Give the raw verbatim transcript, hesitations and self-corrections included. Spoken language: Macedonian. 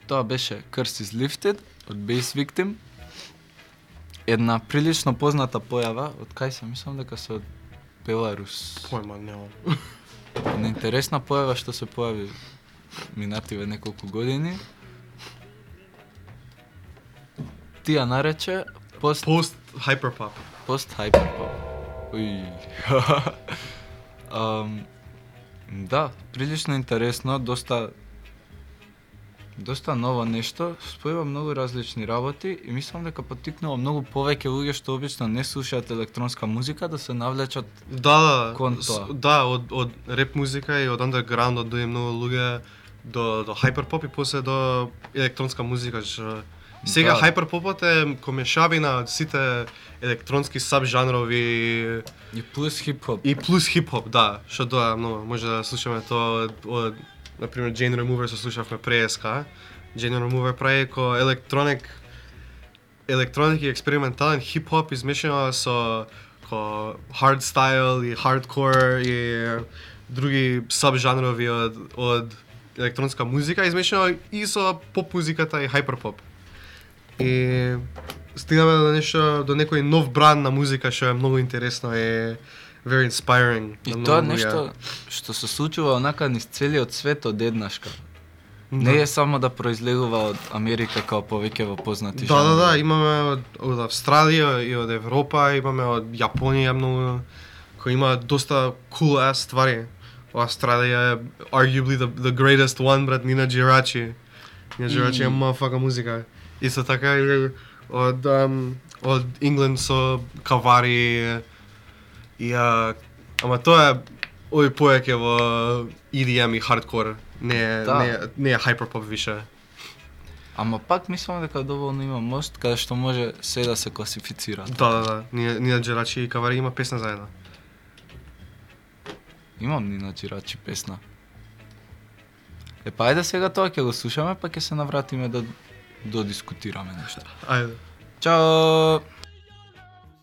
Тоа беше Curse is Lifted од Bass Victim. Една прилично позната појава, од кај се мислам дека се од Беларус. Појма немам. Една интересна појава што се појави минативе неколку години. Тија нарече пост Пост hyperpop. пост hyperpop. Уј. um, да, прилично интересно, доста доста ново нешто, спојува многу различни работи и мислам дека поттикнува многу повеќе луѓе што обично не слушаат електронска музика да се навлечат. Да, да, Кон с- тоа. да, од од реп музика и од андерграундот дојде многу луѓе до до hyperpop и после до електронска музика, што сега Да. hyperpopот е комешавина од сите електронски сабжанрови И плюс хип-хоп. и плюс хип-хоп, да, што тоа многу може да слушаме тоа од, од на пример Jane Remover се слушавме преска. Jane Remover прави ко електроник електроник и експериментален хип-хоп измешано со ко hardstyle и hardcore и други сабжанрови од од електронска музика измешано и со поп музиката и hyperpop. И стигаме до нешто, до некој нов бранд на музика што е многу интересно и very inspiring. И на тоа многу луѓе. нешто што се случува онака низ целиот свет одеднашка. Да. Не е само да произлегува од Америка као повеќе во познати Да, да, жанрови. да, имаме од, од Австралија и од Европа, имаме од Јапонија многу, кој има доста cool ass ствари. Австралија е arguably the, the greatest one, брат, Нина Джирачи. Нина Джирачи е И- мафака музика. Исто така и од, um, од Ингланд со Кавари и а, ама тоа е овој поеќе во И Ди Ем и хардкор, не е, Да. не, е- не е hyperpop више. Ама пак мислам дека доволно има мост каде што може се да се класифицира. Да, да, да. Нина, Нина Джирачи и Кавари има песна заедно. Имам Нина Джирачи песна. Е, па ајде сега тоа ќе го слушаме, па ќе се навратиме да додискутираме нешто. Ајде. Чао!